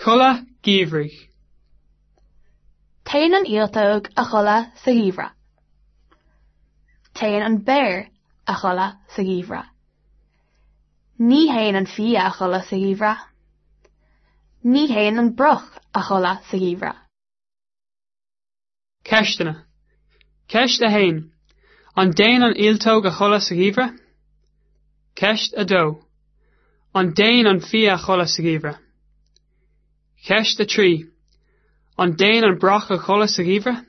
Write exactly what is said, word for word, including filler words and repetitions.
Codladh geimhridh. Téann an ialtóg a chodladh sa gheimhreadh. Téann an béar a chodladh sa gheimhreadh. Ní théann an fia a chodladh sa gheimhreadh. Ní théann an broc a chodladh sa gheimhreadh. Ceisteanna. Ceist a haon. An dtéann an ialtóg a chodladh sa gheimhreadh? Ceist a dó. An dtéann an fia a chodladh sa gheimhreadh? Ceist a trí. An dtéann an broc a chodladh sa gheimhreadh?